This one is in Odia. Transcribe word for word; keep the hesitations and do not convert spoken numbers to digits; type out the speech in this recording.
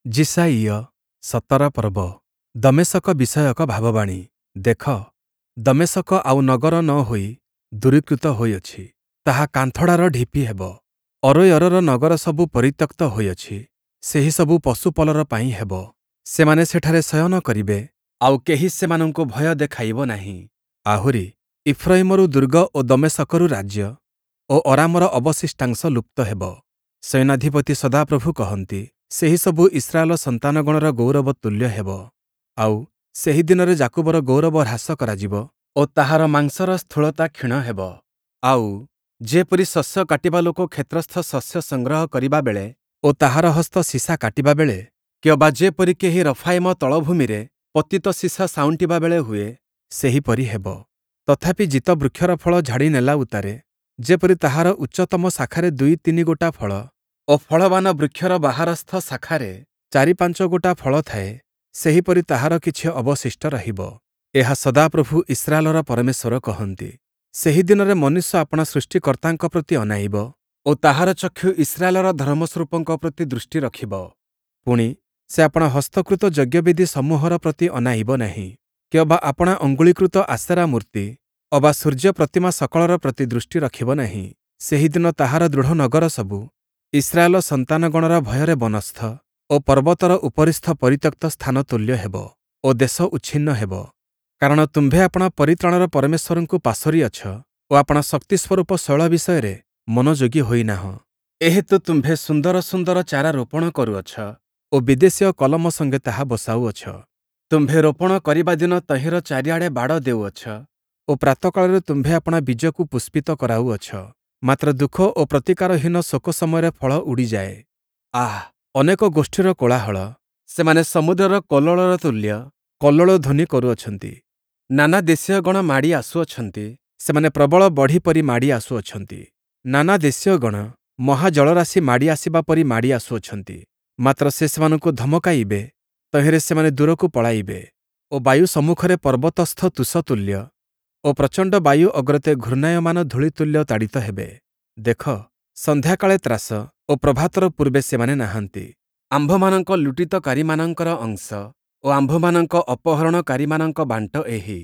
ଯିଶାଇୟ ସତର ପର୍ବ ଦମେଶକ ବିଷୟକ ଭାବବାଣୀ। ଦେଖ, ଦମେଶକ ଆଉ ନଗର ନ ହୋଇ ଦୂରୀକୃତ ହୋଇଅଛି, ତାହା କାନ୍ଥଡ଼ାର ଢିପି ହେବ। ଅରୋୟରର ନଗରସବୁ ପରିତ୍ୟକ୍ତ ହୋଇଅଛି, ସେହିସବୁ ପଶୁପଲର ପାଇଁ ହେବ। ସେମାନେ ସେଠାରେ ଶୟନ କରିବେ, ଆଉ କେହି ସେମାନଙ୍କୁ ଭୟ ଦେଖାଇବ ନାହିଁ। ଆହୁରି, ଇଫ୍ରୟିମରୁ ଦୁର୍ଗ ଓ ଦମେଶକରୁ ରାଜ୍ୟ ଓ ଅରାମର ଅବଶିଷ୍ଟାଂଶ ଲୁପ୍ତ ହେବ। ସେନାଧିପତି ସଦାପ୍ରଭୁ କହନ୍ତି, ସେହିସବୁ ଇସ୍ରାଏଲ ସନ୍ତାନଗଣର ଗୌରବ ତୁଲ୍ୟ ହେବ। ଆଉ ସେହି ଦିନରେ ଯାକୁବର ଗୌରବ ହ୍ରାସ କରାଯିବ ଓ ତାହାର ମାଂସର ସ୍ଥୂଳତା କ୍ଷୀଣ ହେବ। ଆଉ ଯେପରି ଶସ୍ୟ କାଟିବା ଲୋକ କ୍ଷେତ୍ରସ୍ଥ ଶସ୍ୟ ସଂଗ୍ରହ କରିବା ବେଳେ ଓ ତାହାର ହସ୍ତ ସୀସା କାଟିବା ବେଳେ, କିଅବା ଯେପରି କେହି ରଫାୟିମ ତଳଭୂମିରେ ପତିତ ସୀସା ସାଉଁଟିବା ବେଳେ ହୁଏ, ସେହିପରି ହେବ। ତଥାପି ଜୀତ ବୃକ୍ଷର ଫଳ ଝାଡ଼ି ନେଲା ଉତ୍ତାରେ ଯେପରି ତାହାର ଉଚ୍ଚତମ ଶାଖାରେ ଦୁଇ ତିନି ଗୋଟା ଫଳ ଓ ଫଳବାନ ବୃକ୍ଷର ବାହାରସ୍ଥ ଶାଖାରେ ଚାରି ପାଞ୍ଚ ଗୋଟା ଫଳ ଥାଏ, ସେହିପରି ତାହାର କିଛି ଅବଶିଷ୍ଟ ରହିବ। ଏହା ସଦାପ୍ରଭୁ ଇସ୍ରାଏଲର ପରମେଶ୍ୱର କହନ୍ତି। ସେହି ଦିନରେ ମନୁଷ୍ୟ ଆପଣା ସୃଷ୍ଟିକର୍ତ୍ତାଙ୍କ ପ୍ରତି ଅନାଇବ ଓ ତାହାର ଚକ୍ଷୁ ଇସ୍ରାଏଲର ଧର୍ମସ୍ୱରୂପଙ୍କ ପ୍ରତି ଦୃଷ୍ଟି ରଖିବ। ପୁଣି, ସେ ଆପଣା ହସ୍ତକୃତ ଯଜ୍ଞବେଦି ସମୂହର ପ୍ରତି ଅନାଇବ ନାହିଁ, କିଅବା ଆପଣା ଅଙ୍ଗୁଳୀକୃତ ଆଶେରା ମୂର୍ତ୍ତି ଅବା ସୂର୍ଯ୍ୟ ପ୍ରତିମା ସକଳର ପ୍ରତି ଦୃଷ୍ଟି ରଖିବ ନାହିଁ। ସେହିଦିନ ତାହାର ଦୃଢ଼ ନଗର ସବୁ ଇସ୍ରାଏଲ ସନ୍ତାନଗଣର ଭୟରେ ବନସ୍ଥ ଓ ପର୍ବତର ଉପରିସ୍ଥ ପରିତ୍ୟକ୍ତ ସ୍ଥାନ ତୁଲ୍ୟ ହେବ ଓ ଦେଶ ଉଚ୍ଛିନ୍ନ ହେବ। କାରଣ ତୁମ୍ଭେ ଆପଣା ପରିତ୍ରାଣର ପରମେଶ୍ୱରଙ୍କୁ ପାସୋରିଅଛ ଓ ଆପଣା ଶକ୍ତିସ୍ୱରୂପ ଶୈଳ ବିଷୟରେ ମନୋଯୋଗୀ ହୋଇନାହଁ। ଏହେତୁ ତୁମ୍ଭେ ସୁନ୍ଦର ସୁନ୍ଦର ଚାରା ରୋପଣ କରୁଅଛ ଓ ବିଦେଶୀୟ କଲମ ସଙ୍ଗେ ତାହା ବସାଉଅଛ। ତୁମ୍ଭେ ରୋପଣ କରିବା ଦିନ ତହିଁର ଚାରିଆଡ଼େ ବାଡ଼ ଦେଉଅଛ ଓ ପ୍ରାତଃକାଳରେ ତୁମ୍ଭେ ଆପଣା ବୀଜକୁ ପୁଷ୍ପିତ କରାଉଅଛ। ମାତ୍ର ଦୁଃଖ ଓ ପ୍ରତିକାରହୀନ ଶୋକ ସମୟରେ ଫଳ ଉଡ଼ିଯାଏ। ଆଃ, ଅନେକ ଗୋଷ୍ଠୀର କୋଳାହଳ! ସେମାନେ ସମୁଦ୍ରର କଲ୍ଲୋଳର ତୁଲ୍ୟ କଲ୍ଲୋଳ ଧ୍ୱନି କରୁଅଛନ୍ତି। ନାନା ଦେଶୀୟଗଣ ମାଡ଼ି ଆସୁଅଛନ୍ତି, ସେମାନେ ପ୍ରବଳ ବଢ଼ି ପରି ମାଡ଼ି ଆସୁଅଛନ୍ତି। ନାନା ଦେଶୀୟଗଣ ମହାଜଳରାଶି ମାଡ଼ି ଆସିବା ପରି ମାଡ଼ି ଆସୁଅଛନ୍ତି। ମାତ୍ର ସେ ସେମାନଙ୍କୁ ଧମକାଇବେ, ତହିଁରେ ସେମାନେ ଦୂରକୁ ପଳାଇବେ ଓ ବାୟୁ ସମ୍ମୁଖରେ ପର୍ବତସ୍ଥ ତୁଷ ତୁଲ୍ୟ ଓ ପ୍ରଚଣ୍ଡ ବାୟୁ ଅଗ୍ରତେ ଘୂର୍ଣ୍ଣାୟମାନ ଧୂଳି ତୁଲ୍ୟ ତାଡ଼ିତ ହେବେ। ଦେଖ, ସନ୍ଧ୍ୟାକାଳେ ତ୍ରାସ ଓ ପ୍ରଭାତର ପୂର୍ବେ ସେମାନେ ନାହାନ୍ତି। ଆମ୍ଭମାନଙ୍କ ଲୁଟିତକାରୀମାନଙ୍କର ଅଂଶ ଓ ଆମ୍ଭମାନଙ୍କ ଅପହରଣକାରୀମାନଙ୍କ ବାଣ୍ଟ ଏହି।